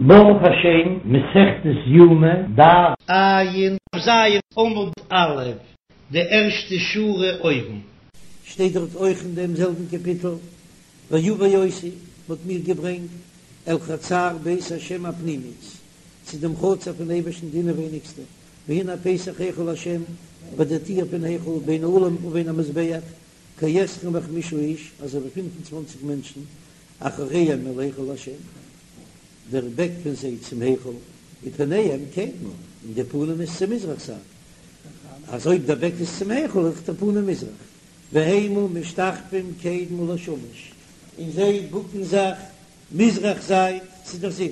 ברוך השם, מסכת יומא, דף ע"ז עמוד א', די ערשטע שורה אויבן. שטייט דארט אויך אין דעם זעלבן קאפיטל, ויבא אותי, מ'האט מיר געברענגט, אל חצר בית השם הפנימית, צו דעם חצר פון אייבערשטן די אינעווייניגסטע, והנה פתח היכל השם, ביי דער טיר פון היכל, בין האולם ובין המזבח, כעשרים וחמישה איש, אזוי ווי פינף און צוואנציג מענטשן, אחוריהם אל היכל השם, דער בעק פון זיי צום היכל, ופניהם קדמה, און די פנים איז צו מזרח זייט, אז אויב דער בעק איז צום היכל איז דאך דער פנים מזרח, והמה משתחווים קדמה לשמש, און זיי בוקן זיך מזרח זייט צו דער זון,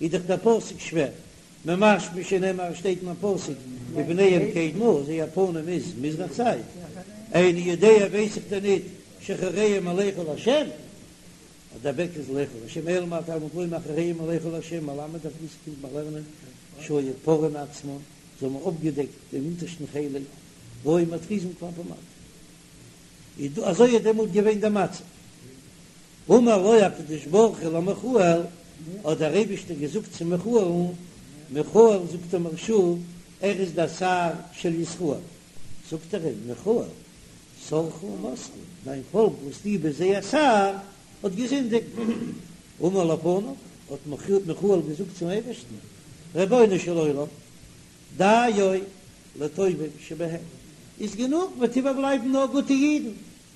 איז דאך דער פסוק שווער, ממשמע שנאמר שטייט אין א פסוק ופניהם קדמה, זייער פנים איז מזרח זייט, איני יודע ווייס איך דען ניט שאחוריהם אל היכל השם, אז דער בעק איז להיכל השם אלא מה תלמוד לומר אחוריהם אל היכל השם מלמד אויף דאס קומט מען לערנען שהיו פורעין עצמן, זיי האבן אפגעדעקט דעם אונטערשטן חלק והיו מתריזין כלפי מטה, איז דא אזוי איז דעמאלט געווען דער מצב. אמר לו הקדוש ברוך הוא למיכאל, האט דער אייבישטער געזאגט צו מיכאל'ן, מיכאל זאגט דער מהרש"א, ער איז דער שר של ישראל, זאגט ער אים, מיכאל, שרך עמסך, דיין פאלק וואס דו ביסט זייער שר, האט געזינדיגט. אמר לפניו, האט מיכאל געזאגט צום אייבערשטן, רבונו של עולם, דיו לטובים שבהם, איז גענוג, וועט איבערבלייבן נאר גוטע אידן,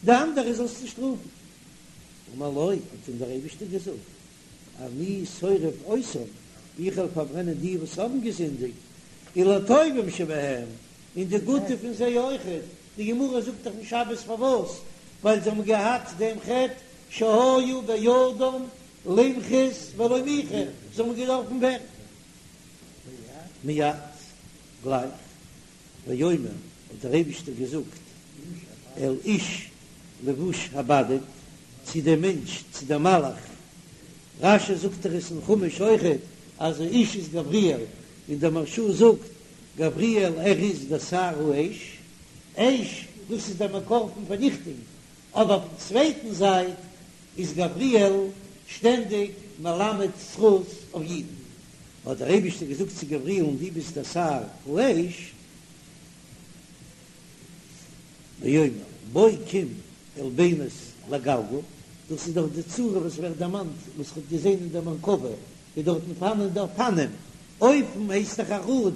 די אנדערע זאלסטו שטראפן. אמר לו, האט אים דער אייבערשטער געזאגט, אני שורף אותם, איך וועל פארברענען די וואס האבן געזינדיגט, ולטובים שבהם, און די גוטע פון זיי אויכעט, די גמרא זאגט דאך אין שבת פארוואס, ווייל זיי האבן געהאט דעם חטא שהיה בידם למחות ולא מיחו, זיי האבן געדארפן ווערן מיד, גלייך. ויאמר, האט דער אייבישטער געזאגט, אל איש לבוש הבדים, צו דעם מענטש, צו דעם מלאך, רש"י זאגט דאך עס אין חומש אויכעט, אז איש איז גבריאל, און דער מהרש"א זאגט, גבריאל ער איז דער שר האש, אש דאס איז דער מקור פון פארניכטונג, אבער פון צווייטן זייט איז גבריאל שטענדיג מלמד זכות אויף אידן, האט דער אייבישטער געזאגט צו גבריאל'ן דו ביסט דער שר האש, ויאמר בוא קום אל בינות לגלגל, דאס איז דאך די צורה וואס ווערט דערמאנט וואס כ'האב געזען אין דער מרכבה, איז דארטן פארהאנען די אופנים, אופן הייסט דאך א ראד,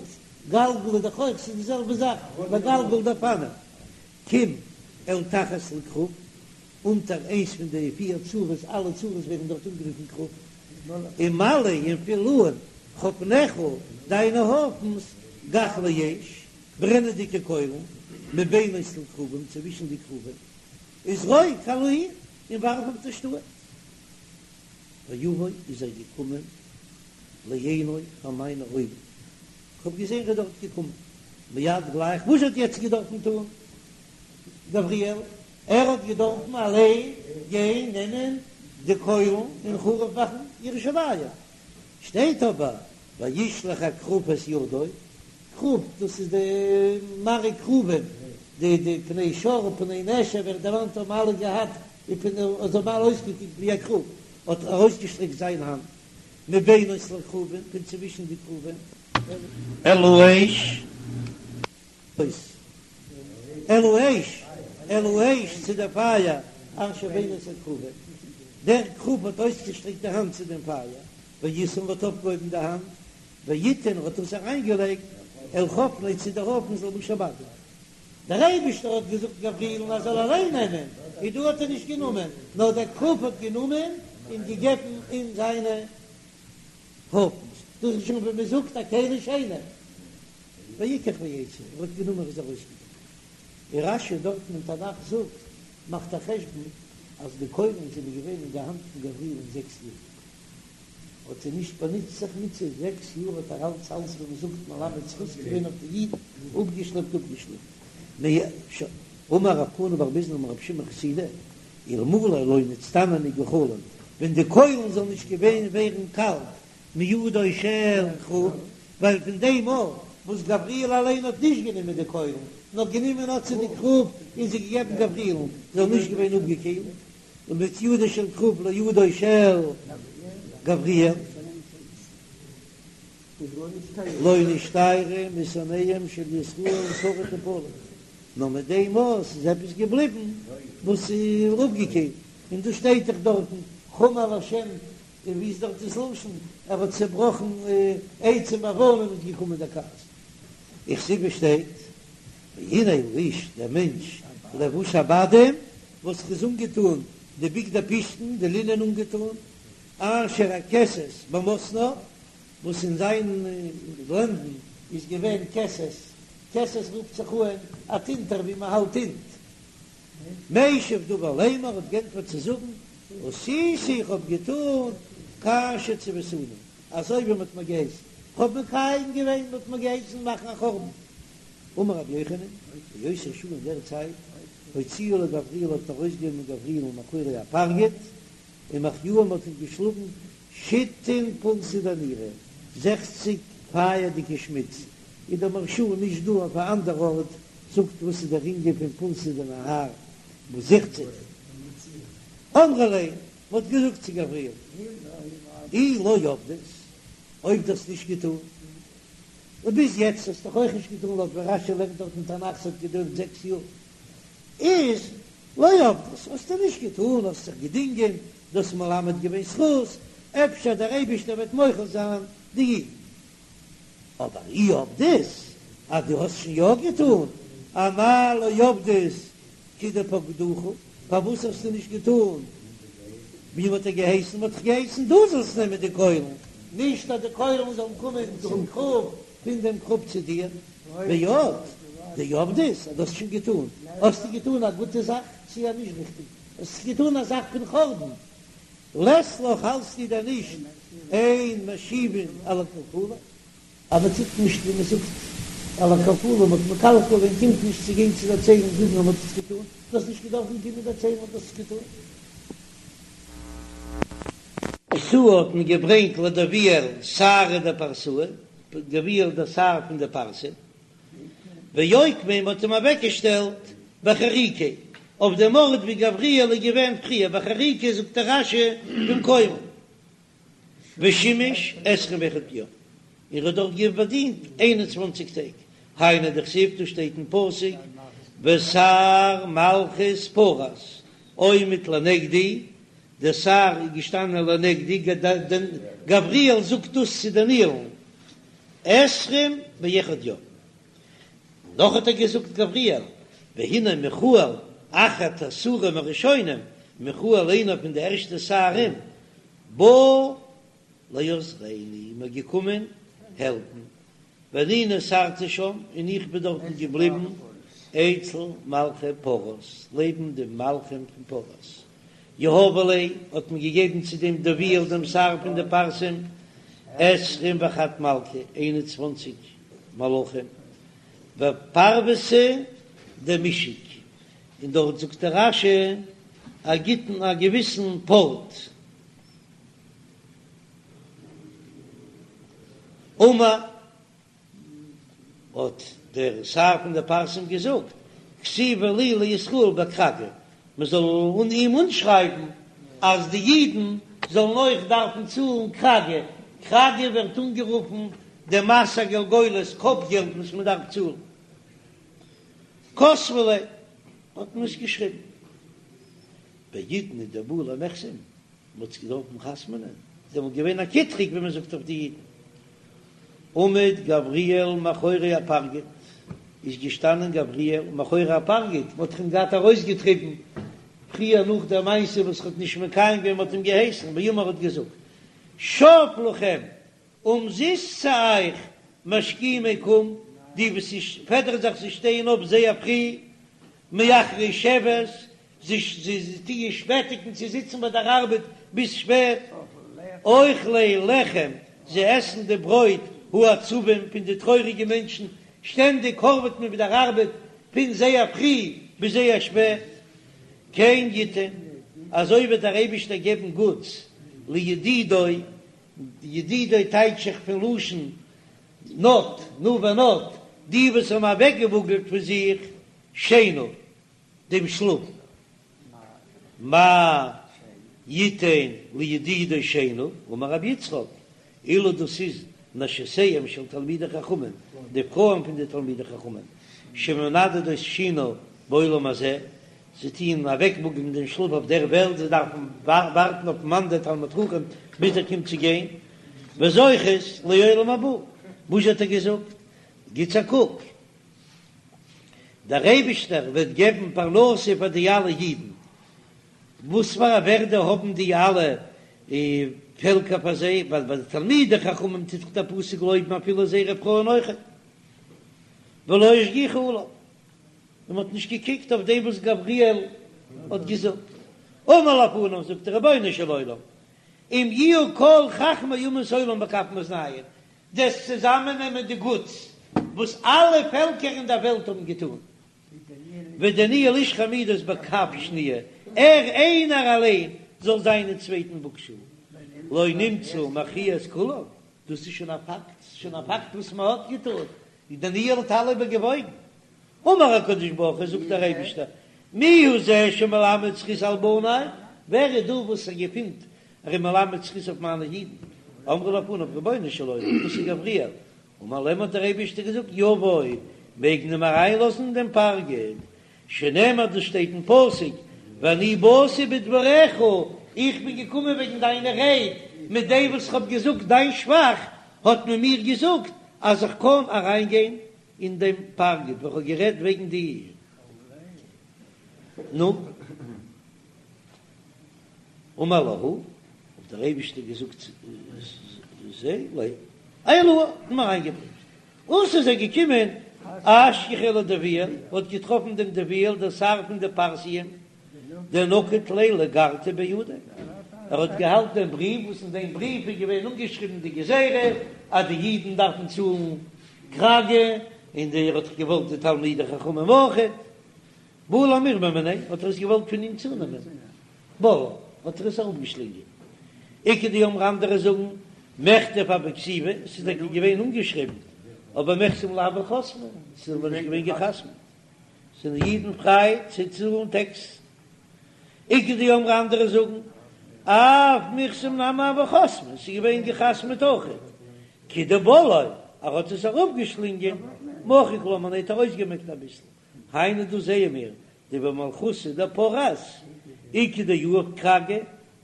גלגל איז דאך אויך, ס'איז די זעלבע זאך, לגלגל די אופנים, קום אל תחת לכרוב, אונטער איינס פון די פיר צורות, אלע צורות ווערן דארט אנגערופן כרוב, ומלא און פיל אן חפניך, דיינע הויפנס, גחלי אש, ברענעדיגע קוילן, מבינות לכרובים, צווישן די כרובים, וזרוק על העיר, און ווארף אויף די שטאט. ויבוא איז ער געקומען לעיני פאר מיינע אויגן, כ'האב געזען ער איז דארט געקומען, מיד גלייך, וואס האט יעצט געדארפן טון גבריאל? ער האט געדארפן אליין גיין נעמען די קוילן און חרוב מאכן ירושלים, שטייט אבער וישלח הכרוב את ידו, כרוב דאס איז די מראה כרובים, די די פני שור פני נשר ווערט דערמאנט האבן אלע געהאט די פני זיי האבן אלע אויסגעקוקט ווי א כרוב, האט ארויסגעשטרעקט זיין האנט מבינות לכרובים פון צווישן די כרובים. אל האש. אויס. אל האש, אל האש צו דער פייער, אשר בינות הכרובים. דער כרוב האט אויסגעשטרעקט די האנט צו דעם פייער, וישאם האט אויפגעהויבן די האנט, ויתן האט עס אריינגעלייגט אל חפני צו די הויפנס לבוש הבדים. דער אייבישטער האט געזאגט גבריאל'ן ער זאל אליין נעמען, און דא האט ער נישט גענומען, נאר דער כרוב האט גענומען און געגעבן אין זיינע הויפנס. דאס איז שוין ווי מען זאגט א כלי שני. ויקח ויצא, ער האט גענומען ער איז ארויסגעגאנגען. און רש"י דארטן אין תנך זאגט, מאכט א חשבון אז די קוילן זענען געווען אין די האנט פון גבריאל'ן זעקס יאר, האט ער נישט באנוצט זיך מיט זיי, זעקס יאר האט ער אלץ אלץ ווי מען זאגט מלמד זכות געווען אויף די אידן, אפגעשלעפט אפגעשלעפט. אמר רב כהנא בר ביזנא אמר רבי שמעון חסידא, אלמלא לא נצטננו גחלים, ווען די קוילן זאלן נישט געווען ווערן קאלט מידו של כרוב, ווייל פון דעם מאל וואס גבריאל אליין האט נישט גענומען די קוילן, נאר גענומען האט זי די כרוב און זי געגעבן גבריאל'ן, זאל נישט געווען אפגעקילט, ומיט ידו של כרוב לידו של גבריאל. לא נשתיירו משונאיהם של ישראל שריד ופליט, נאר מיט דעם וואס איז עפעס געבליבן וואס איז אפגעקערט, און דא שטייט דאך דארטן חמל השם, און ווי איז דארט דאס לשון, ער האט צעבראכן עצים ואבנים איז געקומען דער כעס, וכתיב שטייט והנה האיש דער מענטש לבוש הבדים וואס איז אנגעטאן די בגדי פשתן די לינען אנגעטאן, אשר הכסת במתניו, וואס אין זיין לענדן איז געווען כסת, כסת רופט זיך אן א טינטער ווי מען האלט טינט. משיב דבר לאמר האט גענטפערט צו זאגן, עשיתי איך האב געטאן כאשר צויתני, אזוי ווי מען האט מיר געהייסן, איך האב מקיים געווען, מען האט מיר געהייסן מאכן א חורבן. אמר רבי יוחנן, באותה שעה אין דער צייט, הוציאו לגבריאל האט מען ארויסגענומען גבריאל'ן מאחורי הפרגוד, ומחיוהו מ'האט אים געשלאגן שיתין פולסי דנורא, זעכציג פייערדיגע שמיץ, איז דער מהרש"א נישט דא אויף א אנדער ארט זאגט וואס איז דער ענין פון פולסא דנהר וואס זעכציג אמרו ליה, מ'האט געזאגט צו גבריאל אי לא עבדת, אויב דו האסט נישט געטון, און ביז יעצט האסטו דאך אויך נישט געטון לויט ווי רש"י לערנט דארט אין תנך ס'האט געדויערט זעקס יאר, איז לא עבדת, האסטו נישט געטון, האסט זיך געדינגען, דו האסט מלמד געווען זכות, אפשר דער אייבישטער וועט מוחל זיין די אידן. אבער אי עבדת, אז דו האסט שוין יא געטון, אמאי לא עבדת כדפקדוך, פארוואס האסטו נישט געטון ווי מ'האט דיר געהייסן, מ'האט דיך געהייסן דו זאלסט נעמען די קוילן, נישט אז די קוילן זאלן קומען צום כרוב, פון דעם כרוב צו דיר, ועוד דעבדת, אז דו האסט שוין געטון, האסטו געטון א גוטע זאך צי א נישט ריכטיג, האסט געטון א זאך פון חורבן, לית לך האלטסטו דען נישט אין משיבין על הקלקולים? אז מען טוט נישט ווי מען זאגט על הקלקולים, מען האט מקלקל געווען קומט נישט צו גיין צו דערציילן זאגן אז מען האט עס געטון, דו האסט נישט געדארפן קומען דערציילן אז דו האסט עס געטון. אתאו האט מען געברענגט לדויאל סיהרא דפרסאי, דויאל דער שר פון די פרסה, ואוקמיה מ'האט אים אוועקגעשטעלט בחריקיה, אויף דעם ארט ווי גבריאל איז געווען פריער, בחריקיה זאגט דער רש"י במקומו, ושימש עשרים ואחד יום, און ער האט דארט געבאדינט איין און צוואנציג טעג, היינו דכתיב דאס שטייט אין פסוק ושר מלכות פרס עומד לנגדי, דער שר איז געשטאנען לנגדי, גבריאל זאגט דאס צו דניאל'ן, עשרים ואחד יום. נאך האט ער געזאגט גבריאל, והנה מיכאל אחד השרים הראשונים, מיכאל איינער פון די ערשטע שרים, בא לעזרני, מיר געקומען העלפן, ואני נותרתי שם, און איך בין דארטן געבליבן, אצל מלכי פרס, לעבן די מלכים פון פרס. יהבו ליה, האט מען געגעבן צו דעם דויאל דעם שר פון די פרסים, עשרים וחד מלכא, איין און צוואנציג מלכים, ופרוותא דמשק, און דארט זאגט דער רש"י א גוטן א געוויסן פארט. אמר. האט דער שר פון די פרסים געזאגט, כתיבו להו לישראל בכרגא, מען זאל אן אים אנשרייבן אז די אידן זאלן אויך דארפן צאלן כרגא, כרגא ווערט אנגערופן די מס הגולגולת, קאפ געלט וואס מען דארף צאלן. כתבו ליה, האט מען עס געשריבן. בעידנא דבעו למחתם, מען האט זיך געדארפן חתמ'נען, איז דעמאלט געווען א קיטרוג ווי מען זאגט אויף די אידן. עמד גבריאל מאחורי הפרגוד, איז געשטאנען גבריאל מאחורי הפרגוד, מען האט אים געהאט ארויסגעטריבן פריער נאך דער מעשה וואס ער האט נישט מקיים געווען, מען האט אים געהייסן, ואמר האט געזאגט, שוא לכם, אומזיסט צו אייך, משכימי קום, די וואס פעדערן זיך זיי שטייען אויף זייער פרי, מאחרי שבת, זיי טוען שפעטיגן צו זיצן ביי דער ארבעט ביז שפעט, אוכלי לחם, זיי עסן די ברויט העצובים פון די טרויעריגע מענטשן, שטענדיג הארוועט מען ביי דער ארבעט פון זייער פרי ביז זייער שפעט, כן יתן, אזוי וועט דער אייבישטער געבן גוטס לידידו, ידידו טייטש איך פון לשון נט, נע ונד, די וואס האבן אוועקגעוואגלט פון זיך שינה. דעם שלאף, מאי יתן לידידו שינה, אמר רבי יצחק, אלו דאס איז. נשותיהם של תלמידי חכמים, די פרויען פון די תלמידי חכמים, שמנדדות שינה בעולם הזה, זיי טוען אוועקוואגלען דעם שלאף אויף דער וועלט, זיי דארפן ווארטן אויפן מאן דער תלמיד חכם ביז ער קומט צו גיין, וזוכות לעולם הבא, וואס האט ער געזאגט? גיטס א קוק, דער אייבישטער וועט געבן פרנסה פאר די אלע אידן, וואס פאר א ווערדע האבן די אלע פעלקער פאר זיי, ווייל ביי די תלמידי חכמים טוט דאך דער פסוק לויבן אפילו זייערע פרויען אויכעט, ולא השגיחו עליו, און מען האט נישט געקוקט אויף דעם וואס גבריאל האט געזאגט. אמר לפניו, זאגט דער רבונו של עולם, אם יהיו כל חכמי אומות העולם בכף מאזניים, דו'סט צוזאמעננעמען די גוטס וואס אלע פעלקער אין דער וועלט האבן געטאן, ודניאל איש חמודות בכף שניה, ער איינער אליין זאל זיין אין צווייטן וואגשאל, לא נמצא מכריע את כולם, דאס איז שוין א פאקט, ס'איז שוין א פאקט וואס מען האט געטאן, דניאל האט אלע איבערגעוואויגן. אמר הקדוש ברוך הוא, זאגט דער אייבישטער, מי הוא זה שמלמד זכות על בני, ווער איז דא וואס ער געפינט ער איז מלמד זכות אויף מיינע אידן, אמרו לפניו, רבונו של עולם, דאס איז גבריאל, אמר להם האט דער אייבישטער געזאגט, יבוא, מעג מען אים אריינלאזן אין דעם פרגוד, שנאמר דאס שטייט אין פסוק, ואני באתי בדבריך, איך בין געקומען וועגן דיינע רייד, מיט דעם וואס איך האב געזאגט דיין שבח, האט מען מיר געזאגט אז איך קען אריינגיין אין דעם פרגוד, ווען כ'האב גערעדט וועגן דיר. נו. אמר להו, האט דער אייבישטער געזאגט צו זיי, עיילוה, האט מען אריינגעברענגט. אתא איז ער געקומען, אשכחיה לדביאל, האט געטראפן דעם דביאל דער שר פון די פרסיים, דנקיט ליה לגרתא בידיה, ער האט געהאלטן דעם בריוו, וואס אין דעם בריוו איז געווען אנגעשריבן די גזירה אז די אידן דארפן צאלן כרגא, און ער האט געוואלט די תלמידי חכמים אויכעט. בעא למירמא מיניה, האט ער עס געוואלט פון אים צונעמען, בלעא, האט ער עס אראפגעשלינגען. איכא דאמרי אנדערע זאגן, מכתב הוה כתיבא, עס איז טאקע געווען אנגעשריבן, אבער מיחתם לא הוו חתמי, עס איז אבער נישט געווען געחתמעט. זענען אידן פריי צו צאלן טעקס. איכא דאמרי אנדערע זאגן, אף מיחתם נמי הוו חתמי, עס איז געווען געחתמעט אויכעט. כדבלעא, ער האט עס אראפגעשלינגען, מחק לה מיניה, האט ער אויסגעמעקט אביסל. היינו דא זעען מיר דבמלכותא דפרס איכא דיהיב כרגא,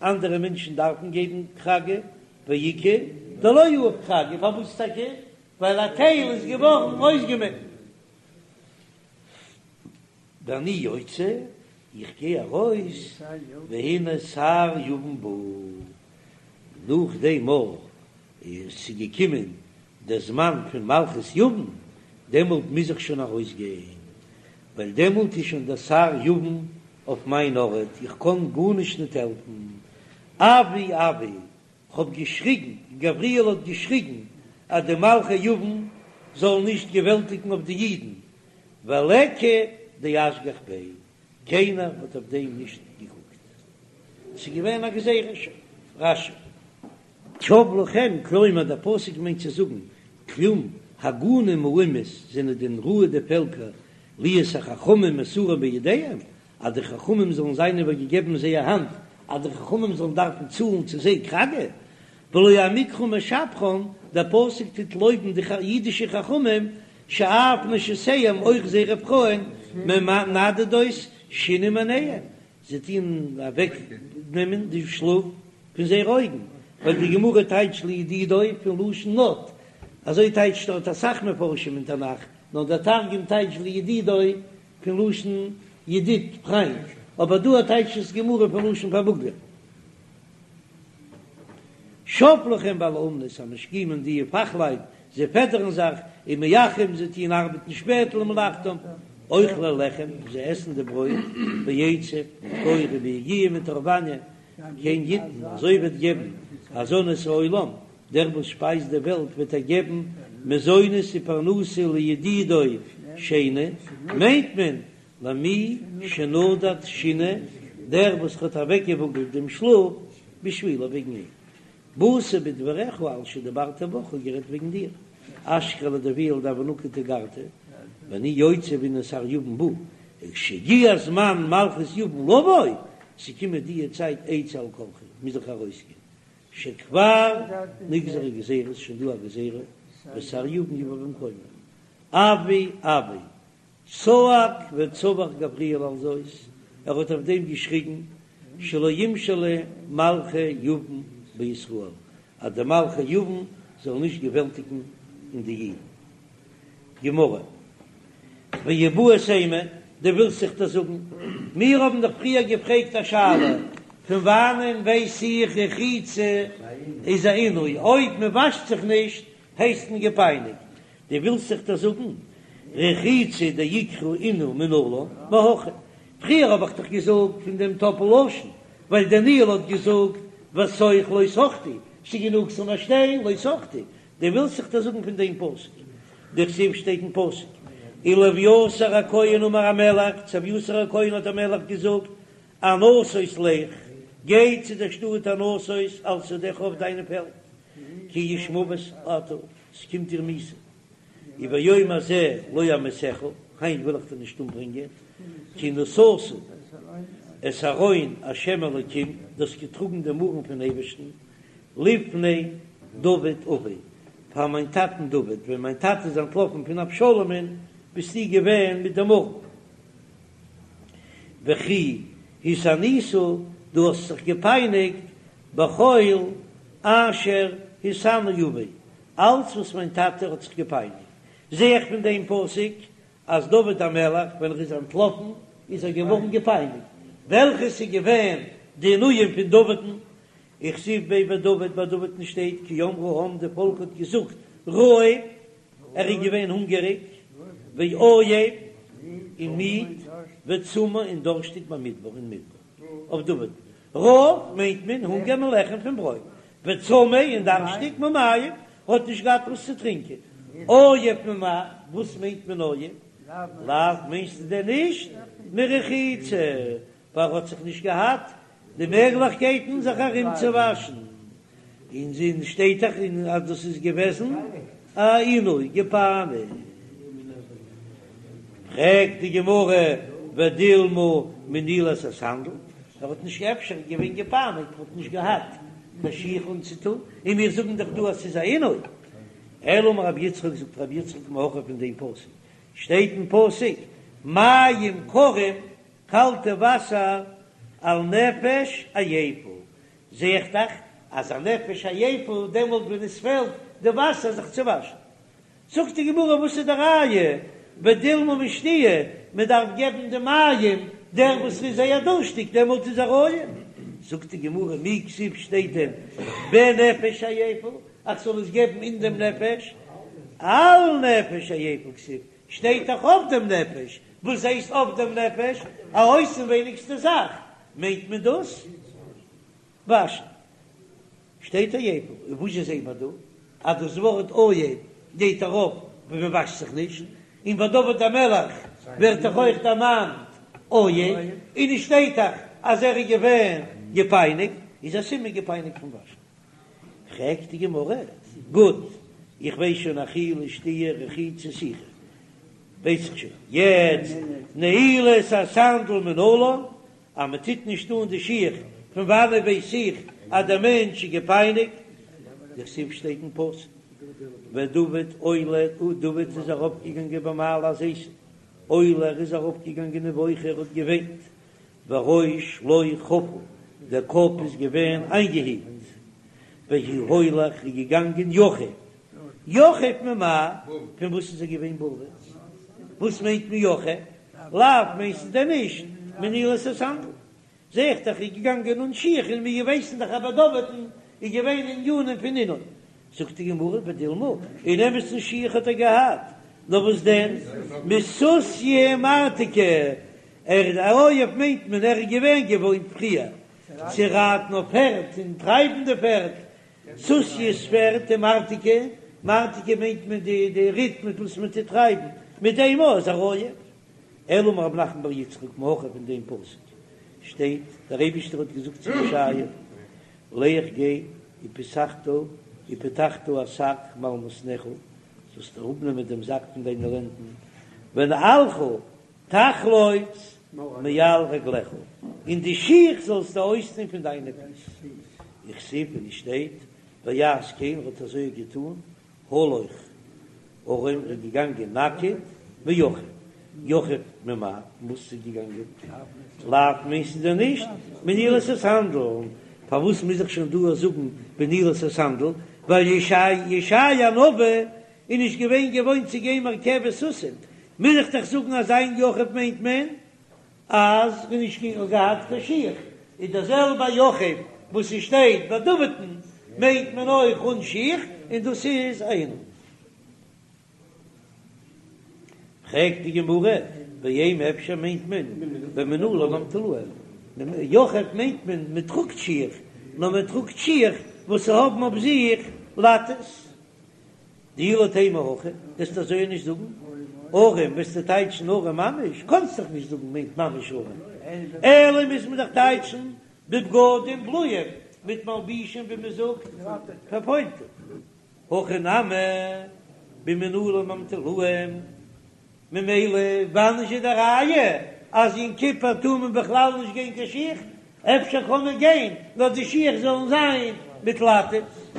אנדערע מענטשן דארפן געבן כרגא, ואיכא דלא יהיב כרגא, פארוואס טאקע? ווייל א טייל איז געווארן אויסגעמעקט. ואני יוצא, איך גיי ארויס, והנה שר יוון בא, נאך דעם אויך איז געקומען דער זמן פון מלכות יוון, דעמאלט מוז איך שוין ארויסגיין, ווייל דעמאלט איז שוין דער שר יוון אויף מיין ארט, איך קען גארנישט ניט העלפן. אווי אווי, כ'האב געשריגן, גבריאל האט געשריגן, אז די מלכי יוון זאלן נישט געוועלטיגן אויף די אידן, וליכא דאשגח ביה, קיינער האט אויף דעם נישט געקוקט. ס'איז געווען א גזירה שוין. רש"י. שב לכם, כלומר דער פסוק מיינט צו זאגן, כלום הגונים האומות זענען דען ראוי די פעלקער להיות החכמים מסורים בידיהם, אז די חכמים זאלן זיין איבערגעגעבן אין זייער האנט, אז די חכמים זאלן דארפן צאלן צו זיי כרגא, והלא המקרא משבחן, דער פסוק טוט לויבן די אידישע חכמים, שאף נשותיהם אויך זייערע פרויען מנדדות שינה מעיניהם, זיי טוען אוועק נעמען די שלאף פון זייערע אויגן, ווייל די גמרא טייטשט לידידו פון לשון נד, אזוי טייטשט דארט אסאך מפרשים אין תנך, נאר דער תרגום טייטשט לידידו פון לשון ידיד, פריינט, אבער דא טייטשט עס גמרא פון לשון פארוואגלען. שב לכם בעלי אומנות המשכימים די פאכלייט, זיי פעדערן זיך, ומאחרים זיי טוען ארבעטן שפעט למלאכתם, אוכלי לחם, זיי עסן די ברויט, בעצב, מיט כח וביגיעה מיט הארעוואניע, כן יתן, אזוי וועט געבן, הזן את העולם, דער וואס שפייזט די וועלט וועט ער געבן מזונות ופרנסה לידידו שינה, מיינט מען למי שנדד שינה, דער וואס האט אוועקגעוואגלט דעם שלאף, בשבילו וועגן אים. באתי בדבריך על שדיברתי בך, כ'האב גערעדט וועגן דיר, אשכחיה לדביאל דהוה נקיט תיגרתא, ואני יוצא והנה שר יוון בא, וכשהגיע זמן מלכות יוון לבוא, ס'קומען די צייט אצא על כרחי, מוז איך ארויסגיין. שכבר נגזרה גזירה, ס'איז שוין דא א גזירה, ושר יוון יבא במקומו, אווי אווי, צעק וצווח גבריאל על זאת, ער האט אויף דעם געשריגן, שלא ימשלו מלכי יוון בישראל, אז די מלכי יוון זאלן נישט געוועלטיגן אין די אידן. גמרא, ואיבעית אימא, דו ווילסט זיך דאס זאגן, מיר האבן דאך פריער געפרעגט א שאלה, פון וואנען ווייס איך רחיצה איז א עינוי, אויב מען וואשט זיך נישט הייסט מען געפייניגט, דו ווילסט זיך דאס זאגן, רחיצה דעיקרא עינוי מנלן, מהכא, פריער האב איך דאך געזאגט פון דעם טאפל לשון, ווייל דניאל האט געזאגט ותוך לא תחטי, ס'גענוג ס'זאל נאר שטיין לא תחטי, דו ווילסט זיך דאס זאגן פון דעם פסוק, דכתיב שטייט אין פסוק, ולאביתר הכהן אמר המלך, צו אביתר הכהן האט דער מלך געזאגט, ענתות לך, גיי צו דער שטאט ענתות על שדך אויף דיינע פעלד, כי איש מוות אתה, ס'קומט דיר מיתה, וביום הזה לא אמיתך, היינט וויל איך דיר נישט אומברענגען, כי נשאת את ארון השם אלוקים, דו האסט געטראגן דעם ארון פון אייבערשטן, לפני דוד אבי, פאר מיין טאטן דוד, ווען מיין טאטע איז אנטלאפן פון אבשלומ'ן, ביסטו געווען מיט דעם ארון. וכי התענית, דו האסט זיך געפייניגט, בכל אשר התענה אבי, אלץ וואס מיין טאטע האט זיך געפייניגט. זע איך פון דעם פסוק אז דוד המלך ווען ער איז אנטלאפן איז ער געווארן געפייניגט, וועלכעס איז געווען די עינויים פון דוד'ן, וכתיב ביה בדוד, ביי דוד'ן שטייט כי אמרו העם, די פאלק האט געזאגט רעב, ער איז געווען הונגעריג, ועיף, און מיד, וצמא און דורשטיג במדבר אין מדבר, אויף דוד, רעב מיינט מען הונגער מלחם פון ברויט, וצמא און דארשטיג ממים, האט נישט געהאט וואס צו טרינקען, עיף ממאי, וואס מיינט מען עיף? לאו מיינסטו דען נישט מרחיצה, ווייל ער האט זיך נישט געהאט די מעגליכקייטן זיך ארומצואוואשן, אין זין שטייט דאך אז דאס איז געוועזן א עינוי געפייניגט. פרעגט די גמרא ודילמא מנעילת הסנדל, ער האט נישט אפשר געווען געפייניגט, האט נישט געהאט קיין שיך אנצוטון, און מיר זאגן דאך דא אז ס'איז א עינוי. אלא אמר רבי יצחק, זאגט רבי יצחק מהכא פון דעם פסוק, שטייט אין פסוק מים קרים קאלטע וואסער על נפש עייפה, זע איך דאך אז א נפש עייפה דעמאלט ווען עס פעלט די וואסער זיך צו וואשן. זאגט די גמרא וואס איז די ראיה, ודילמא משתיה, מען דארף געבן די מים דער וואס איז זייער דורשטיג דעמאלט איז ער עייף. זאגט די גמרא מי כתיב שטייט דען בנפש עייפה איך זאל עס געבן אין דעם נפש, על נפש עייפה כתיב, שטייט דאך אויף דעם נפש, וואס הייסט אויף דעם נפש? א אויסנווייניגסטע זאך, מיינט מען דאס וואשן. שטייט עייפה, און וואס זשע זעהט מען דא? אז דאס ווארט עייף גייט ארויף ווען מען וואשט זיך נישט, און ביי דוד המלך ווערט דאך אויך דערמאנט עייף, און עס שטייט דאך אז ער איז געווען געפייניגט, איז א סימן געפייניגט פון וואשן. פרעגט די גמרא, גוט, איך ווייס שוין אכילה שתיה רחיצה סיכה, ווייס איך שוין, יעצט נעילת הסנדל מנלן, אז מען טוט נישט אן די שיך, פון וואנעט ווייס איך אז דער מענטש איז געפייניגט? דכתיב שטייט אין פסוק, ודוד עולה, דוד איז ארויפגעגאנגען במעלה הזיתים, עולה ער איז ארויפגעגאנגען ובוכה ער האט געוויינט, וראש לו חפול, דער קאפ איז געווען איינגעהילט, והוא הולך איז געגאנגען יחף, יחף ממאי, פון וואס איז ער געווען בארוועס? וואס מיינט מען יחף? לאו מיינסטו דען נישט מנעילת הסנדל? זע איך דאך איז געגאנגען אן שיך און מיר ווייסן דאך אז ביי דוד'ן איז געווען ענינים פון עינוי. זאגט די גמרא ודילמא, אין אמת'ן שיך האט ער געהאט, נאר וואס דען מסוסיא ומרתכא, ער איז עייף מיינט מען ער איז געווען געוואוינט פריער צו רייטן אויף פערד און טרייבן די פערד, סוסיא איז פערד ומרתכא, מרתכא מיינט מען די די ריט מיט וואס מען טוט טרייבן, מיט דעם איז ער עייף. אלא אמר רב נחמן בר יצחק מהכא פון דעם פסוק שטייט, דער אייבישטער האט געזאגט צו ישעיה, לך גיי ופתחת ופתחת השק מעל מתניך, זאלסט אראפנעמען דעם זאק פון דיינע לענדן, ונעלך תחלוץ מעל רגליך, און די שיך זאלסטו אויסטון פון דיינע פיס. וכתיב און עס שטייט ויעש כן ער האט אזוי געטון הלוך ערום ער איז געגאנגען נאקעט ויחף יחף ממאי וואס איז געגאנגען לאו מיינסטו דען נישט מנעילת הסנדל פארוואס מוז איך שוין דא זאגן בנעילת הסנדל ווייל ישעי' הנביא איז נישט געווען געוואוינט צו גיין מרכבת סוסים מוז איך דאך זאגן אז זיין יחף מיינט מען אז ער האט נישט געהאט קיין שיך, איז דער זעלבע יחף וואס ס'שטייט ביי דוד'ן מיינט מען אויך אן שיך, און דאס איז א עינוי. פרעגט די גמרא, ואימא אפשר מיינט מען במנעלים המטולאין, יחף מיינט מען מען טראגט שיך, נאר מען טראגט שיך וואס האבן אויף זיך לאטעס. דאי לא תימא הכי, וועסט אזוי נישט זאגן ערום, וועסטו טייטשן ערום ממש, קאנסט דאך נישט זאגן מיינט ממש ערום, אלא מוז מען דאך טייטשן בבגדים בלויים, מיט מלבישים ווי מען זאגט פארפוילטע, הכא נמי במנעלים המטולאים. ממילא וואנען איז די ראיה אז יום כיפור טאר מען בכלל נישט גיין קיין שיך? אפשר קען מען גיין נאר די שיך זאלן זיין מיט לאטעס.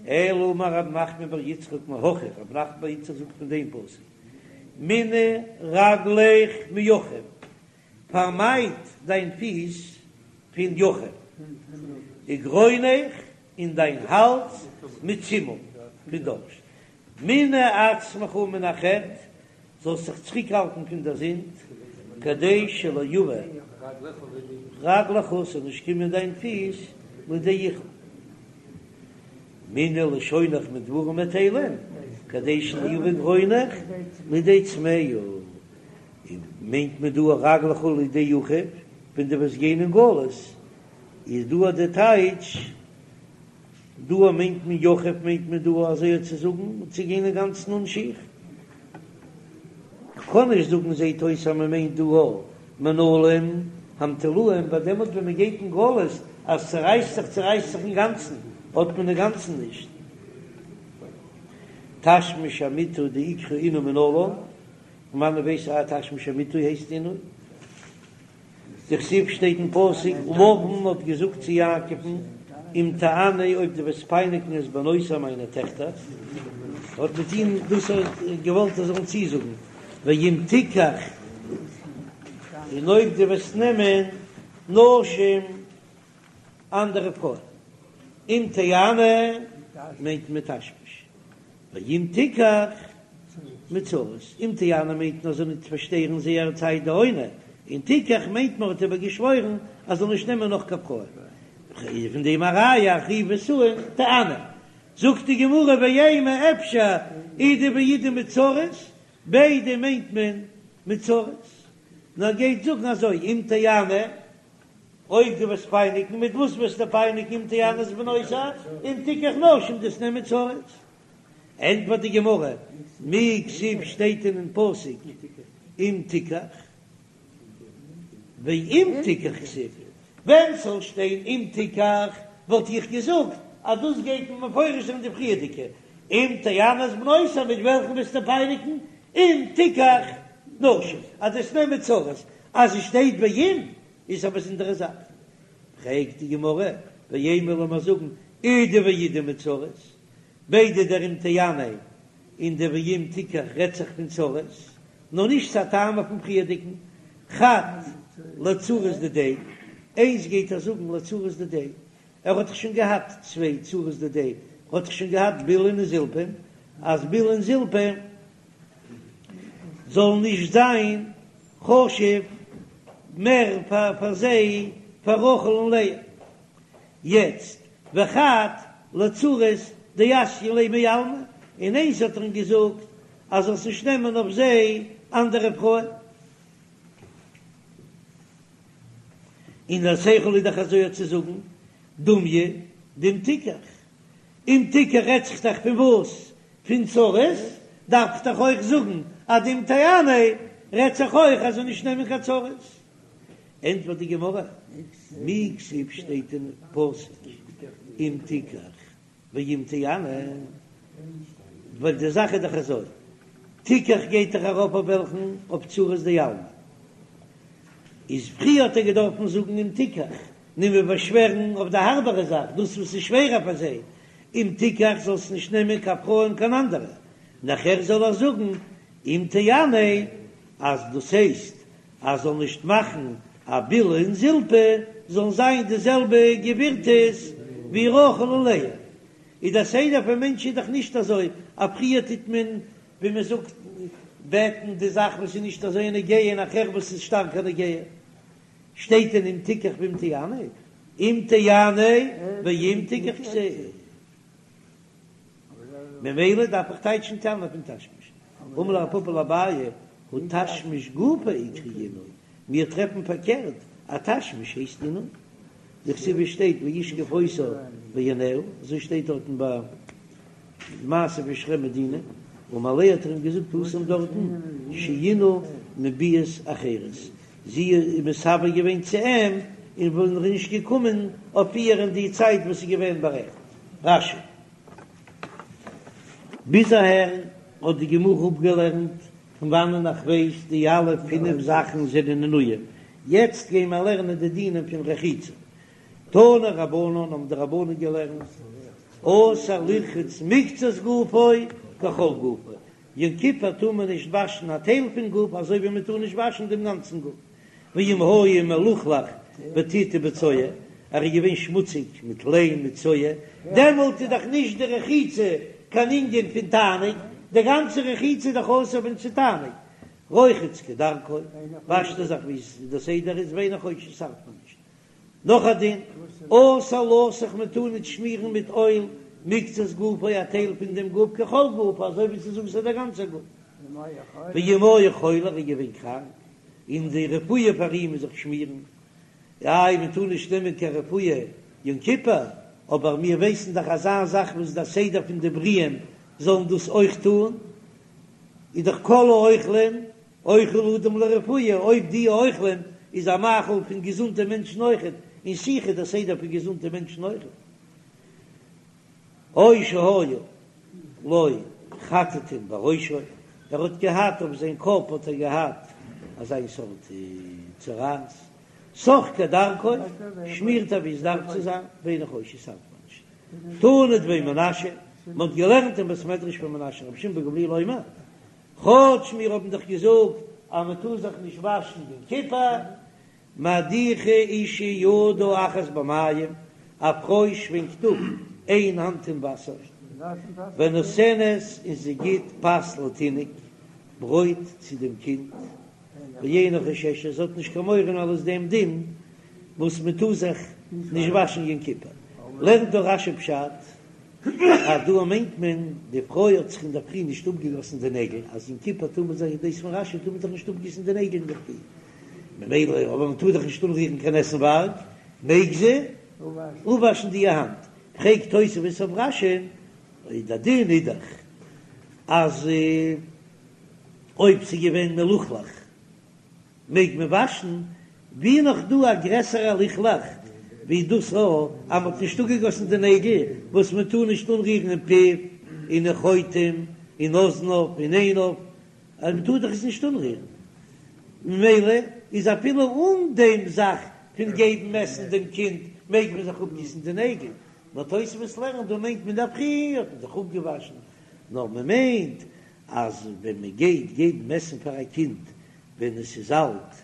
אלא אמר רב נחמן בר יצחק מהכא, רב נחמן בר יצחק זאגט פון דעם פסוק מנעי רגליך מיחף, פארמייד דיין פיס פון יחף, וגרונך און דיין האלז מצימא, פון דארשט, מנע עצמך מן החטא, זאלסט זיך צוריקהאלטן פון דער זינד, כדי שלא יבא רגלך, ס'זאל נישט קומען דיין פיס לידי יחוף. מנעי לשונך מדברים בטלים, כדי שלא יבא גרונך לידי צמאה. און מיינט מען דא רגלך לידי יחוף, ווען דו וועסט גיין אין גלות, איז דא די טייטש, דא מיינט מען יחף מיינט מען דא אזוי צו זאגן צו גיין אינגאנצן אן שיך. כ'קען נישט זאגן זעהט אויס אז מ'מיינט דא מנעלים המטולאים ווייל דעמאלט ווען מ'גייט אין גלות אז צורייסט זיך צורייסט זיך אינגאנצן האט מען אינגאנצן נישט תשמיש המיטה דאיקרי עינוי מנלן, פון וואנען ווייס איך אז תשמיש המיטה הייסט עינוי? דכתיב שטייט אין פסוק, לבן האט געזאגט צו יעקב'ן, אם תענה אויב דו וועסט פייניגן את בנותי מיינע טעכטער, האט מיט אים דאס געוואלט ער זאל אים צוזאגן, ואם תיקח, און אויב דו וועסט נעמען נשים אנדערע פרויען, אם תענה מיינט מען תשמיש, ואם תיקח מצרות, אם תענה מיינט מען זאל ניט פארשטערן זייער צייט די עונה, און תיקח מיינט מען האט איבער געשוואוירן אז זאל נישט נעמען נאך קיין פרויען, איז פון דעם א ראיה אחריתי שאים תענה, זאגט די גמרא ואימא אפשר אידי ואידי מצרות, ביידע מיינט מען מצרות, נאר גייט זאגן אזוי אם תענה אויב דו וועסט פייניגן, מיט וואס וועסטו פייניגן אם תענה את בנותי, אם תיקח נשים דו'סט נעמען צרות. ענטפערט די גמרא, מי כתיב שטייט אינעם פסוק אם תיקח, ואם תיקח כתיב, ווען ס'זאל שטיין אם תיקח וואלט איך געזאגט אז דאס גייט מען מפרש זיין די פריערדיגע, אם תענה את בנותי מיט וועלכן וועסטו פייניגן, אם תיקח נשים, אז דו'סט נעמען צרות, אז עס שטייט ואם איז א באזונדערע זאך. פרעגט די גמרא, ואימא לאמיר זאגן אידי ואידי מצרות, ביידע דער אם תענה און דער ואם תיקח רעדט זיך פון צרות, נאר נישט ס'א טעמא פון פריערדיגן, חד לצרות דידיה, איינס גייט ער זאגן לצרות דידיה, ער האט דאך שוין געהאט צוויי צרות דידיה, ער האט דאך שוין געהאט בלהה און זלפה, אז בלהה און זלפה זאלן נישט זיין חשוב מער פאר זיי פאר רחל און לאה. יעצט וחד לצרות דאתיין ליה מעלמא, און איינס האט ער אים געזאגט אז זאלסט נישט נעמען אויף זיי אנדערע פרויען. און דער שכל איז דאך אזוי צו זאגן, דומיא דאם תיקח, אם תיקח רעדט זיך דאך פון וואס? פון צרות, דארף איך דאך אויך זאגן אז דאם תענה רעדט זיך אויך אז זאל נישט נעמען קיין צרות. ענטפערט די גמרא, מי כתיב שטייט אין פסוק אם תיקח ואם תענה, ווייל די זאך איז דאך אזוי, תיקח גייט דאך ארויף אויף וועלכן? אויף צרות דעלמא. איז פריער האט ער געדארפן זאגן אם תיקח. נעמען באשווערן אויף די הארבערע זאך, דאס וואס איז שווערער פאר זיי, אם תיקח זאלסט נישט נעמען קיין פרויען קיין אנדערע, נאכער זאל איך זאגן אם תענה אז דאס הייסט אז זאל נישט מאכן אז בלהה און זלפה זאלן זיין די זעלבע גבירטעס ווי רחל און לאה, איז דער סדר פון מענטש איז דאך נישט אזוי, אז פריער טוט מען ווי מען זאגט בעטן די זאך וואס איז נישט אזוי נוגע און נאכער וואס איז שטארקער נוגע. שטייט דען אם תיקח ואם תענה? אם תענה ואם תיקח כתיב. ממילא דארף איך טייטשן תענה פון תשמיש. אמר ליה רב פפא לאביי, הא תשמיש גופא איקרי עינוי, מיר טרעפן פארקערט אז תשמיש הייסט עינוי. דכתיב עס שטייט וישכב אותה ויענה, אזוי שטייט דארטן ביי מעשה פון שכם מיט דינה, אמר ליה האט ער אים געזאגט התם דארטן שעינה מביאות אחרות, זי איז מתאוה געווען צו אים און ווען ער איז נישט געקומען אויף איר אין די צייט וואס איז געווען בארעכנט. רש"י. ביז אהער האט די גמרא אפגעלערנט פון וואנען איך ווייס די אלע פינף זאכן זענען עינויים, יעצט גייען מיר לערנען די דינים פון רחיצה. תנו רבנן האבן די רבנן געלערנט, אסור לרחוץ מקצת גופו ככל גופו, יום כיפור טאר מען נישט וואשן א טייל פון גוף אזוי ווי מען טאר נישט וואשן דעם גאנצן גוף, ואם היה מלוכלך בטיט ובצואה, ער איז געווען שמוציג מיט ליים מיט צואה, דעמאלט איז דאך נישט די רחיצה קיין ענין פון תענוג, די גאנצע רחיצה איז דאך אסור ווען ס'איז תענוג, רוחץ כדרכו, וואשט ער זיך ווי די סדר איז ואינו חושש ס'ארט מען נישט. נאך א דין, אסור לסוך מען טאר נישט שמירן מיט אויל מקצת גופו א טייל פון דעם גוף ככל גופו אזוי ווי ס'איז אסור דער גאנצער גוף. ואם היה חולה ער איז געווען קראנק און די רפואה פאר אים איז זיך שמירן, איי מען טאר נישט נעמען קיין רפואה יום כיפור, אבער מיר ווייסן דאך אזא זאך וואס דער סדר פון די בריאים זאלן דאס אויך טון, איז דאך כל האוכלין אוכל אדם לרפואה, אויב די אוכלים איז א מאכל פון געזונטע מענטשן אויכעט, און סיכה איז דער סדר פון געזונטע מענטשן אויכעט. או שהיו לו חטטין בראשו, ער האט געהאט אויף זיין קאפ האט ער געהאט אזיין סארט צרעת, סך כדרכו, שמירט ער ווי עס דארף צו זיין, ואינו חושש ס'ארט מען נישט. תנא דבי מנשיא, מען האט געלערנט אין בית מדרש פון מנשיא רבי שמעון בן גמליאל אומר, כאטש מיר האבן דאך געזאגט אז מען טאר זיך נישט וואשן יום כיפור, מדיחה אשה ידה אחת במים, א פרוי שווענקט אפ איין האנט אין וואסער, ונותנת און זי גיט פת לתינוק, ברויט צו דעם קינד, ואינה חוששת, זי האט נישט קיין מורא אלס דעם דין וואס מען טאר זיך נישט וואשן יום כיפור, לערנט דא רש"י פשט. אז דא מיינט מען די פרוי האט זיך אינדערפרי נישט אפגעגאסן די נעגל, אז יום כיפור טאר מען זיך דאס פון רש"י טאר מען זיך נישט אפגיסן די נעגל אינדערפרי, ממילא אבער מען טאר דאך נישט אנרירן קיין עסנווארג, מעג זי אפוואשן די האנט. פרעגט תוספות אויף רש"י, אויב די דין איז דאך אז אויב ס'איז געווען מלוכלך מעג מען וואשן, ווי נאך דא א גרעסערע לכלוך ווי דאס א אז מ'האט נישט אפגעגאסן די נעגל וואס מען טאר נישט אנרירן אין פיו און אין חוטם אין אזניו און עיניו אז מען טאר דאך עס נישט אנרירן ממילא איז אפילו אן דעם זאך פון געבן עסן דעם קינד מעג מען זיך אפגיסן די נעגל, נאר תוספות לערנט דא מיינט מען אינדערפרי האט מען זיך אפגעוואשן נאר מען מיינט אז ווען מען גייט געבן עסן פאר א קינד ווען עס איז אלט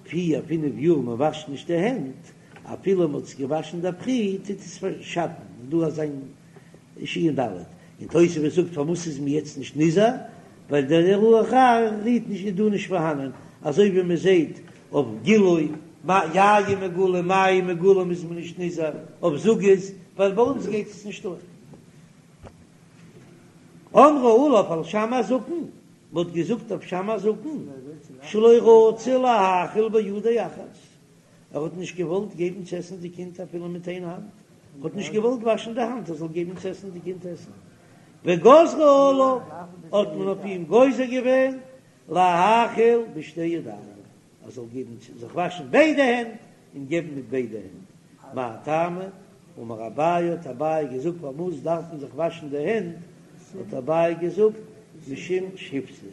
פיר פינף יאר מען וואשט נישט די הענט, אפילו מען האט עס געוואשן אינדערפרי טוט עס שאטן, דא אזא שין ד', און תוספות זאגט פארוואס איז מען יעצט נישט נזהר, ווייל דער רוח רעה רירט נישט איז דא נישט פארהאנען, אזוי ווי מען זעט אויף גילוי יין מגולה מים מגולים איז מען נישט נזהר אויף זוגות, ווייל ביי אונז גייט עס נישט אן. אמרו עליו על שמאי הזקן, מען האט געזאגט אויף שמאי הזקן, שלא רצה להאכיל בידו אחת, ער האט נישט געוואלט געבן צו עסן די קינד אפילו מיט איין האנט, ער האט נישט געוואלט וואשן די האנט ער זאל געבן צו עסן די קינד עסן, וגזרו עליו, האט מען אויף אים גוזר געווען להאכיל בשתי ידיים, ער זאל געבן צו זיך וואשן ביידע הענט און געבן מיט ביידע הענט, מאי טעמא? אמר אביי האט אביי געזאגט פארוואס דארף מען זיך וואשן די הענט, האט אביי געזאגט משום שיבתא,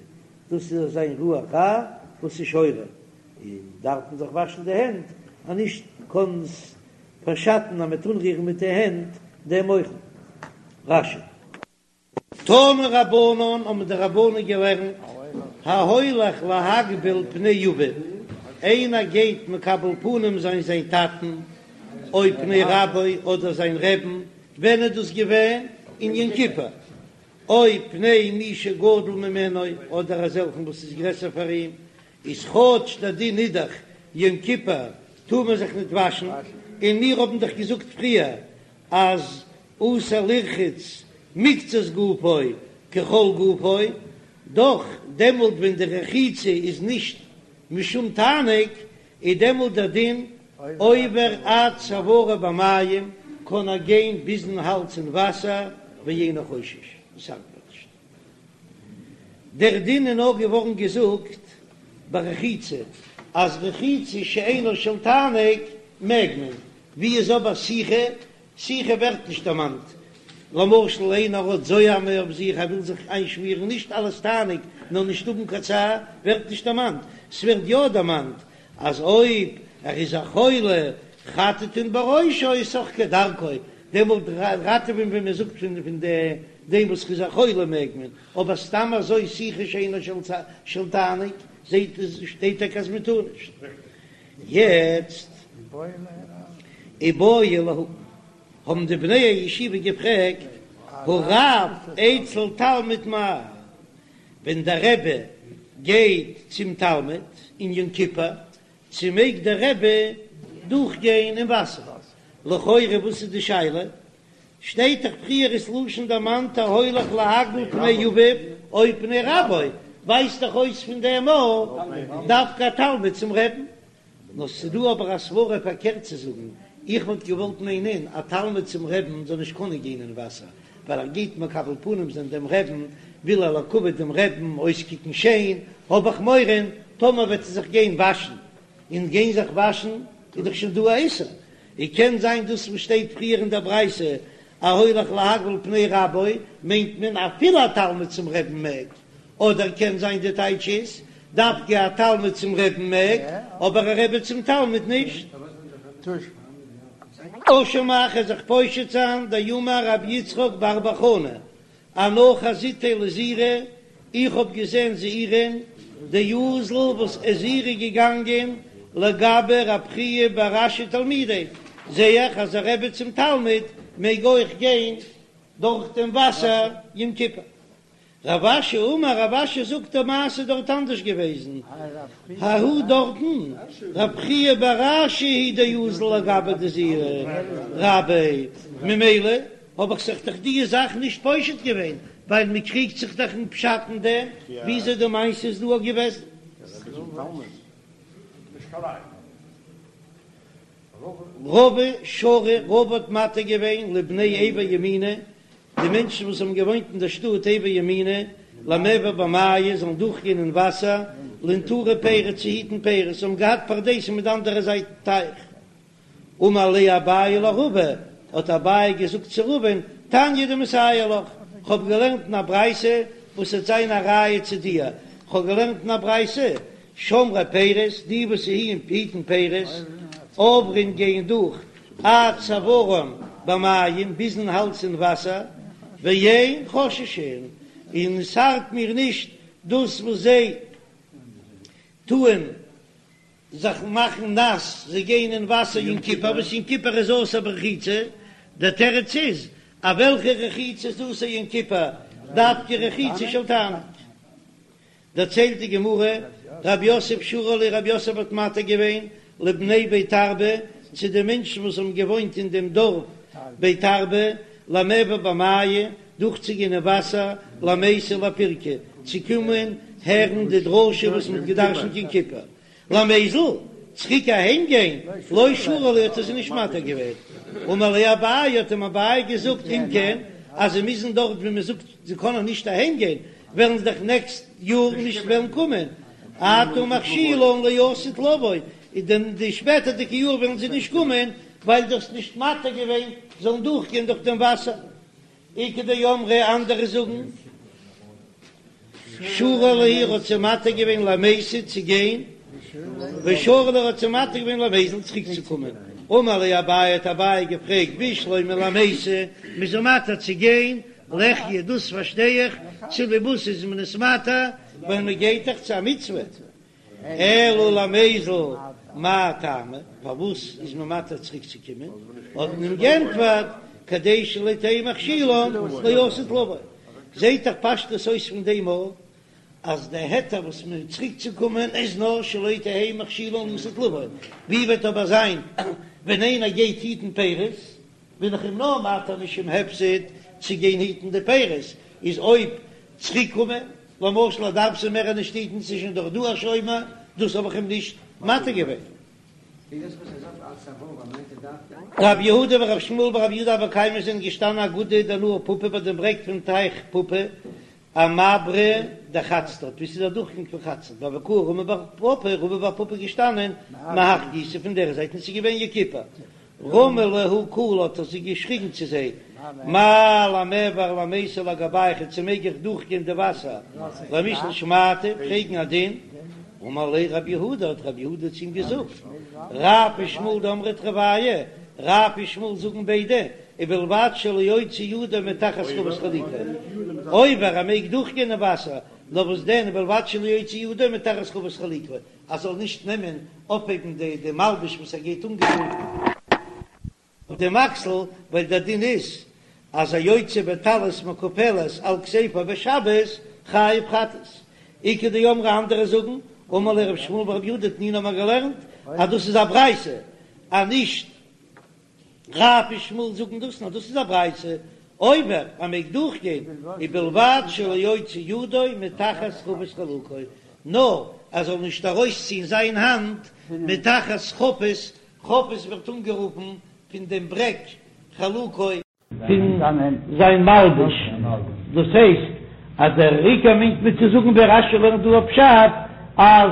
דאס איז אזא רוח רעה וואס איז שורה, און דארף מען זיך וואשן די הענט, אז נישט קען עס. פארשאטן אז מ'וועט אנרירן מיט די הענט דעם אוכל. רש"י. תנו רבנן האבן די רבנן געלערנט, ההולך להקביל פני אביו, איינער גייט מקבל פנים זיין זיין טאטן, או פני רבו אדער זיין רעבן, ווען איז דאס געווען? אין יום כיפור, או פני מי שגדול ממנו אדער אזעלכן וואס איז גרעסער פאר אים, איז כאטש דער דין איז דאך יום כיפור טאר מען זיך ניט וואשן, און מיר האבן דאך געזאגט פריער אז אסור לרחוץ מקצת גופו ככל גופו, דאך דעמאלט ווען די רחיצה איז נישט משום תענוג איז דעמאלט דער דין עובר עד צווארו במים, קען ער גיין ביזן האלז אין וואסער ואינו חושש, עס ארט מיר נישט. דער דין איז נאר געווארן געזאגט ביי רחיצה, אז רחיצה שאינה של תענוג מעג מען, ווי איז אבער סיכה? סיכה ווערט נישט דערמאנט, למשל איינער האט זוהמא אויף זיך ער וויל זיך איינשמירן, נישט אלס תענוג נאר נישט האבן קיין צער, ווערט נישט דערמאנט, ס'ווערט יא דערמאנט אז אויב ער איז א חולה חטטין בראשו סך כדרכו, דעמאלט ראטעווען ווי מען זאגט פון פון דעם וואס איז א חולה מעג מען, אבער סתם אזוי סיכה שאינה של תענוג זעהט שטייט טאקע אז מען טאר נישט. יעצט איבעיא להו, האבן די בני הישיבה געפרעגט, הרב אצל תלמיד מהו, ווען דער רבי גייט צום תלמיד אין יום כיפור, צו מעג דער רבי דורכגיין אין וואסער? לכאורה וואס איז די שאלה? שטייט דאך פריער איז לשון דערמאנט ההולך להקביל פני אביו או פני רבו, ווייזט דאך אויס פון דעם אז דווקא א תלמיד צום רעבן. נאר ס'דא אבער א סברא פארקערט צו זאגן, איך וואלט געוואלט מיינען א תלמיד צום רעבן זאל נישט קענען גיין אין וואסער, ווייל ער גייט מקבל פנים זיין דעם רעבן, וויל ער לכבוד דעם רעבן אויסקוקן שיין, האב איך מורא טאמער וועט ער זיך גיין וואשן, און גיין זיך וואשן איז דאך שוין דא א איסור, און קען זיין דאס וואס שטייט פריער אין דער ברייתא ההולך להקביל פני רבו מיינט מען אפילו א תלמיד צום רעבן מעג, אדער קען זיין די טייטש איז דווקא א תלמיד צום רעבן מעג אבער א רבי צום תלמיד נישט. תא שמע כ'וועל זיך פושט זיין דאמר רבי יצחק בר בר חנה אנא חזיתיה לזעירי, איך האב געזען זעירי'ן דאזל וואס איז זעירי געגאנגען לגבי רב חייא בר אשי תלמידיה, זע איך אז א רבי צום תלמיד מעג אויך גיין דורך דעם וואסער יום כיפור. רב אשי אמר, רב אשי זאגט די מעשה דארט אנדערש געוועזן, ההוא דארטן, רב חייא בר אשי הוא דאזל לגביה דזעירי רביה, ממילא האב איך זיך דאך די זאך נישט פושט געווען, ווייל מען קריגט זיך דאך אין פשט אין דעם וויאזוי די מעשה איז דא געוועזן. רבא שרא, רבא האט מתיר געווען לבני עבר ימינא, די מענטשן וואס האבן געוואוינט אין דער שטאט עבר ימינא, למיעבר במיא, זאלן דורכגיין אין וואסער, לנטורי פירי, צו היטן פירות, זיי האבן געהאט פרדסים מיט די אנדערע זייט טייך. אמר ליה אביי לרבא, האט אביי געזאגט צו רבא'ן, תניא דמסייע לך, כ'האב געלערנט אין א ברייתא וואס וועט זיין א ראיה צו דיר, כ'האב געלערנט אין א ברייתא, שומרי פירות, די וואס היטן פירות, עוברין גייען דורך עד צווארן במים, ביזן האלז אין וואסער, ואין חוששין, און ס'ארט מיר נישט דאס וואס זיי טוען זיך מאכן נאס, זיי גייען אין וואסער יום כיפור, וואס יום כיפור איז אסור ברחיצה, דער תירוץ איז, אז וועלכע רחיצה איז אסור יום כיפור, דווקא רחיצה של תענוג. דערציילט די גמרא, רב יוסף שרא להו, רב יוסף האט מתיר געווען לבני בית ארבא, צו די מענטשן וואס האבן געוואוינט אין דעם דארף בית ארבא, למיעבר במיא, דורכצוגיין אין וואסער, למיתי לפירקא, צו קומען הערן די דרשה וואס מען האט געדרשנט יום כיפור, למיזל, צוריק אהיים גיין, לא שרא להו האט ער זיי נישט מתיר געווען. אמר ליה אביי, האט אים אביי געזאגט, אם כן, אז זיי מוזן דארט ווי מען זאגט זיי קענען נישט אהיים גיין, וועלן זיי דאך נעקסט יאר נישט וועלן קומען, אתה מכשילן לעתיד לבוא, אין די שפעטערדיגע יאר וועלן זיי נישט קומען, ווייל דו האסט נישט מתיר געווען זאלן דורכגיין דורך דעם וואסער. איכא דאמרי אנדערע זאגן שרא להו ער האט זיי מתיר געווען למיתי צו גיין, שרא להו ער האט זיי מתיר געווען למיזל צוריק צו קומען. אמר ליה אביי האט אביי געפרעגט בשלמא למיתי, מ'איז אים מתיר צו גיין, ליחיא דאס פארשטיי איך, צוליב וואס איז מען עס מתיר, ווייל מען גייט דאך צו א מצוה, אלא למיזל מאי טעמא, פארוואס איז מען מתיר צוריק צו קומען, האט מען אים גענטפערט, כדי שלא תהא מכשילן לעתיד לבוא, זעהט דאך פשטות אויס פון דעם א אז די היתר וואס מען צוריק צו קומען איז נאר שלא תהא מכשילן לעתיד לבוא, ווי וועט אבער זיין ווען איינער גייט היטן פירות, בין איך אים נאר מתיר משום הפסד צו גיין היטן די פירות, איז אויב צוריק קומען, למשל ער דארף זיי מער נישט היטן ס'איז שוין דאך דא א שומר, דאס האב איך אים נישט מתיר געווען. רב יהודה ורב שמואל בר רב יהודה הוו קיימי זענען געשטאנען אגודא דנהר פפא ביי דעם ברעג פון טייך פפא, אמברא דחצדד, וואו ס'איז א דורכגאנג פון חצדד, והוה קאי רמי בר פפא, רמי בר פפא איז געשטאנען מהך גיסא פון דער זייט און ס'איז געווען יום כיפור, רמי להו קלא האט ער זיך געשריגן צו זיי, מהו למיעבר למיתא לגבייכו צו מעג איך דורכגיין די וואסער למישאל שמעתא פרעגן א דין? אמר ליה רב יהודה האט רב יהודה צו אים געזאגט, רב ושמואל דאמרי תרוייהו, רב און שמואל זאגן ביידע, ובלבד שלא יוציא ידו מתחת חבית חלוקו, עובר ער מעג דורכגיין אין וואסער, נאר וואס דען ובלבד שלא יוציא ידו מתחת חבית חלוקו, ער זאל נישט נעמען אויפהייבן די די מלבוש וואס ער גייט אנגעטון אויף דעם אקסל, ווייל דער דין איז אז היוצא בטלית מקופלת על כתפו בשבת חייב חטאת. איכא דאמרי אנדערע זאגן, אמר ליה רב שמואל בר רב יהודה תנינא האבן מיר געלערנט אז דאס איז א ברייתא אז נישט רב און שמואל זאגן דאס נאר דאס איז א ברייתא, עובר ער מעג דורכגיין ובלבד שלא יוציא ידו מתחת חבית חלוקו, נאר ער זאל נישט ארויסציען זיין האנט מתחת חבית, חבית ווערט אנגערופן פון דעם ברעק חלוקו, פון זיין מלבוש, דאס הייסט אז דער עיקר מיינט מען צו זאגן ווי רש"י לערנט דא א פשט אז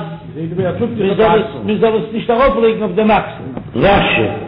מען זאל עס נישט ארויף לייגן אויף דעם אקסל. רש"י.